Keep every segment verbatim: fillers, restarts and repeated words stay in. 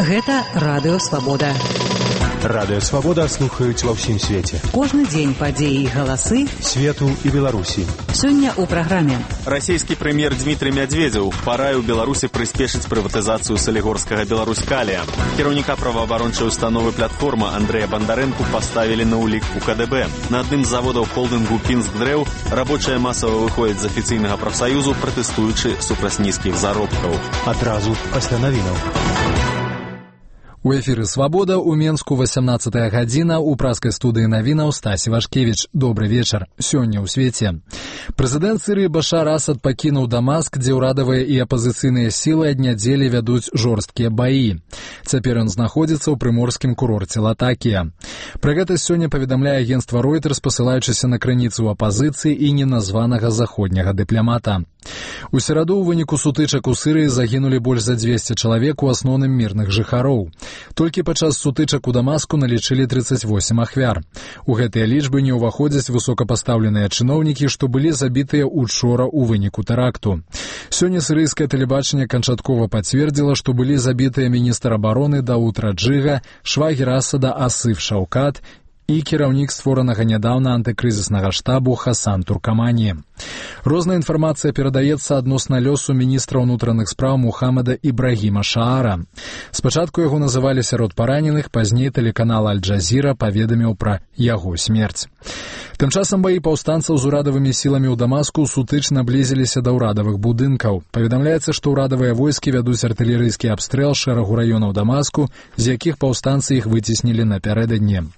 Гэта Радыё Свабода. Радыё Свабода слухаюць ва ўсім свеце. Кожны дзень падзеі і галасы свету і Беларусі. Сёння ў праграме. Расійскі прэм'ер Дмітрый Мядзведзеў параіў Беларусі прыспешыць прыватызацыю салігорскага Беларусь-Калія. Кіраўніка праваабарончай установы «Платформа» Андрэя Бандарэнку паставілі на ўлік у ка дэ бэ. На адным з заводаў холдынгу «Пінскдрэў» рабочыя масава выходзяць з афіцыйнага прафсаюзу, пратэстуючы супраць нізкіх заробкаў. Адразу пасля навінаў. У эфіры «Свабода» у Менску васямнаццатая гадзіна, у праскай студыі навінаў Стасі Вашкевіч. Добры вечар. Сёння ў свеце. Прэзідэнт Сірыі Башар Асад пакінуў Дамаск, дзе ўрадавыя і апазіцыйныя сілы ад нядзелі вядуць жорсткія баі. Цяпер ён знаходзіцца ў прыморскім курорце Латакія. Пра гэта сёння паведамляе агенцтва Reuters, пасылаючыся на крыніцу апазіцыі і неназванага заходняга дыпламата. У сераду ў выніку сутычак у Сірыі загінулі больш за дзвесце чалавек, у асноўным мірных жыхароў. Толькі падчас сутычак у Дамаску налічылі трыццаць восем ахвяр. У гэтыя лічбы не ўваходзяць высокапастаўленыя чыноўнікі, што былі забітыя учора ў выніку тэракту. Сёння сірыйскае тэлебачанне канчаткова пацвердзіла, што былі забітыя міністр абароны Дауд Раджыга, швагер Асада Асыф Шаўкат і кіраўнік створанага нядаўна антыкрызіснага штабу Хасан Туркамані. Розная інфармацыя перадаецца адносна лёсу міністра ўнутраных спраў Мухаммада Ібрагіма Шаара. Спачатку яго называлі сярод параненых, пазней тэлеканал Аль-Джазіра паведаміў пра яго смерць. Тым часам баі паўстанцаў з урадавымі сіламі ў Дамаску сутыч наблізіліся да ўрадавых будынкаў. Паведамляецца, што ўрадавыя войскі вядуць артылерыйскі абстрэл шэрагу раёнаў Дамаску, з якіх паўстанцы іх выцеснілі напярэдадні.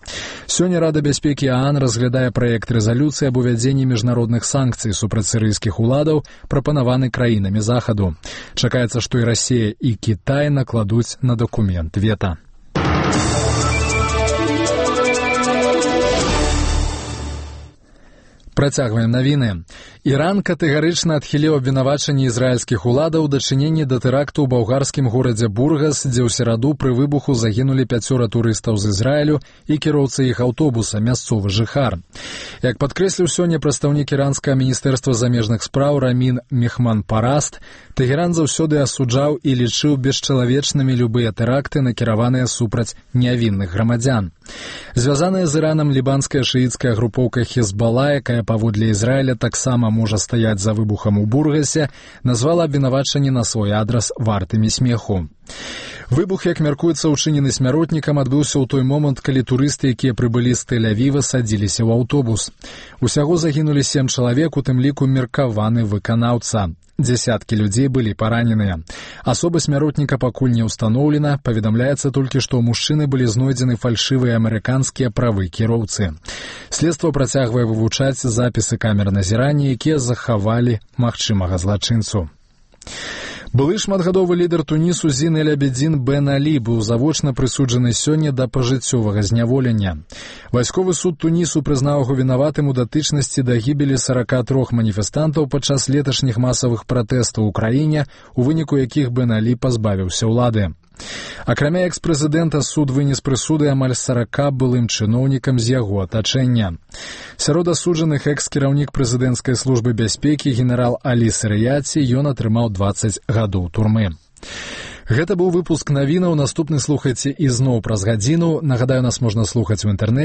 Сёння Рада бяспекі ААН разглядае праект рэзалюцыі аб увядзенні міжнародных санкцый супраць сірыйскіх уладаў, прапанаваны краінамі Захаду. Чакаецца, што і Расія, і Кітай накладуць на дакумент вета. Працягваем навіны. Іран катэгарычна адхіліў абвінавачанні ізраільскіх уладаў у дачыненні да тэракту ў балгарскім горадзе Бургас, дзе ў сераду пры выбуху загінулі пяцёра турыстаў з Ізраілю і кіроўца іх аўтобуса, мясцовы жыхар. Як падкрэсліў сёння прадстаўнік іранскага міністэрства замежных спраў Рамін Мехманпараст, Тэгеран заўсёды асуджаў і лічыў бесчалавечнымі любыя тэракты, накіраваныя супраць нявінных грамадзян. Звязаная з Іранам лібанская шыіцкая групоўка Хезбала, якая паводле Ізраіля таксама можа стаяць за выбухам у Бургасе, назвала абвінавачанні на свой адрас вартымі смеху. Выбух, як мяркуецца, учынены смяротнікам, адбыўся ў той момант, калі турысты, якія прыбылі з Тель-Авіва, садзіліся ў аўтобус. Усяго загінулі сем чалавек, у тым ліку меркаваны выканаўца. Дзясяткі людзей былі параненыя. Асоба смяротніка пакуль не ўстаноўлена, паведамляецца толькі, што ў мужчыны былі знойдзены фальшывыя амерыканскія правы кіроўцы. Следства працягвае вывучаць запісы камер назірання, якія захавалі магчымага злачынцу. Былы шматгадовы лідар Тунісу Зін эль-Абідзін Бен Алі быў завочна прысуджаны сёння да пажыццёвага зняволення. Вайсковы суд Тунісу прызнаў яго вінаватым у датычнасці да гібелі сарака трох маніфестантаў падчас леташніх масавых пратэстаў у краіне, у выніку якіх Бен Алі пазбавіўся ўлады. Акрамя экс-прэзідэнта, суд вынес прысуды амаль сарака былым чыноўнікам з яго атачэння. Сярод асуджаных экс-кіраўнік прэзідэнцкай службы бяспекі генерал Алі Сарыяці, ён атрымаў дваццаць гадоў турмы. Гэта быў выпуск навінаў. Наступны слухайце ізноў праз гадзіну. Нагадаю, нас можна слухаць у інтэрнэце.